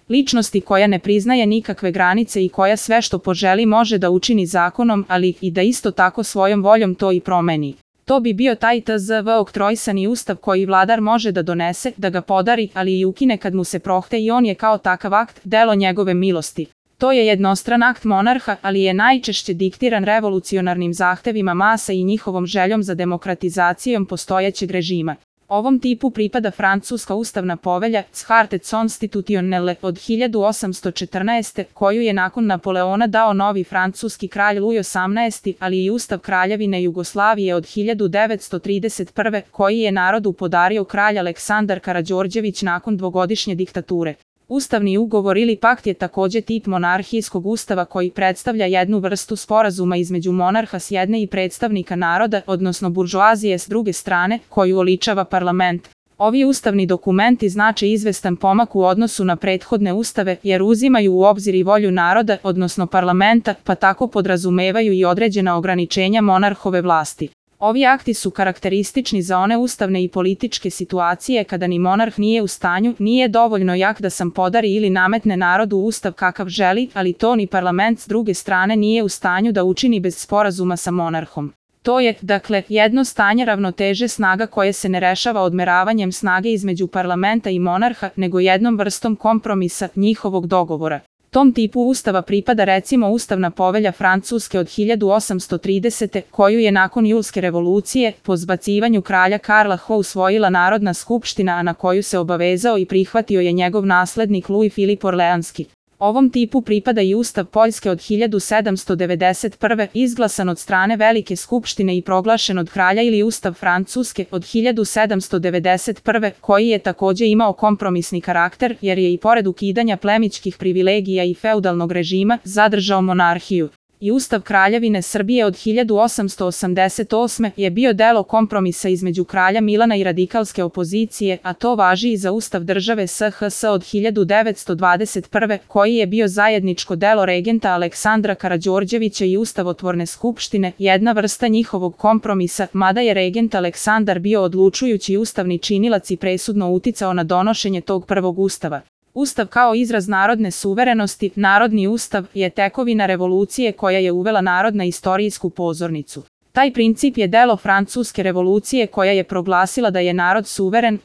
Ličnosti koja ne priznaje nikakve granice i koja sve što poželi može da učini zakonom, ali i da isto tako svojom voljom to i promeni. To bi bio taj tzv. Oktroisani ustav koji vladar može da donese, da ga podari, ali i ukine kad mu se prohte i on je kao takav akt, delo njegove milosti. To je jednostran akt monarha, ali je najčešće diktiran revolucionarnim zahtevima masa i njihovom željom za demokratizacijom postojećeg režima. Ovom tipu pripada francuska ustavna povelja Charte constitutionnelle od 1814. koju je nakon Napoleona dao novi francuski kralj Louis XVIII, ali i Ustav Kraljevine Jugoslavije od 1931. koji je narodu podario kralj Aleksandar Karađorđević nakon dvogodišnje diktature. Ustavni ugovor ili pakt je takođe tip monarhijskog ustava koji predstavlja jednu vrstu sporazuma između monarha s jedne i predstavnika naroda, odnosno buržoazije s druge strane, koju oličava parlament. Ovi ustavni dokumenti znače izvestan pomak u odnosu na prethodne ustave jer uzimaju u obzir i volju naroda, odnosno parlamenta, pa tako podrazumevaju i određena ograničenja monarhove vlasti. Ovi akti su karakteristični za one ustavne i političke situacije kada ni monarh nije u stanju, nije dovoljno jak da sam podari ili nametne narodu ustav kakav želi, ali to ni parlament s druge strane nije u stanju da učini bez sporazuma sa monarhom. To je, dakle, jedno stanje ravnoteže snaga koje se ne rešava odmeravanjem snage između parlamenta i monarha, nego jednom vrstom kompromisa, njihovog dogovora. Tom tipu ustava pripada recimo Ustavna povelja Francuske od 1830. koju je nakon Julske revolucije, po zbacivanju kralja Karla Ho usvojila Narodna skupština, a na koju se obavezao i prihvatio je njegov naslednik Louis Philippe Orleanski. Ovom tipu pripada i Ustav Poljske od 1791. izglasan od strane Velike skupštine i proglašen od kralja ili Ustav Francuske od 1791. koji je takođe imao kompromisni karakter jer je i pored ukidanja plemićkih privilegija i feudalnog režima zadržao monarhiju. I Ustav Kraljevine Srbije od 1888. je bio delo kompromisa između kralja Milana i radikalske opozicije, a to važi i za Ustav države SHS od 1921. koji je bio zajedničko delo regenta Aleksandra Karađorđevića i Ustavotvorne skupštine, jedna vrsta njihovog kompromisa, mada je regent Aleksandar bio odlučujući ustavni činilac i presudno uticao na donošenje tog prvog ustava. Ustav kao izraz narodne suverenosti, narodni ustav, je tekovina revolucije koja je uvela narod na istorijsku pozornicu. Taj princip je delo Francuske revolucije koja je proglasila da je narod suveren,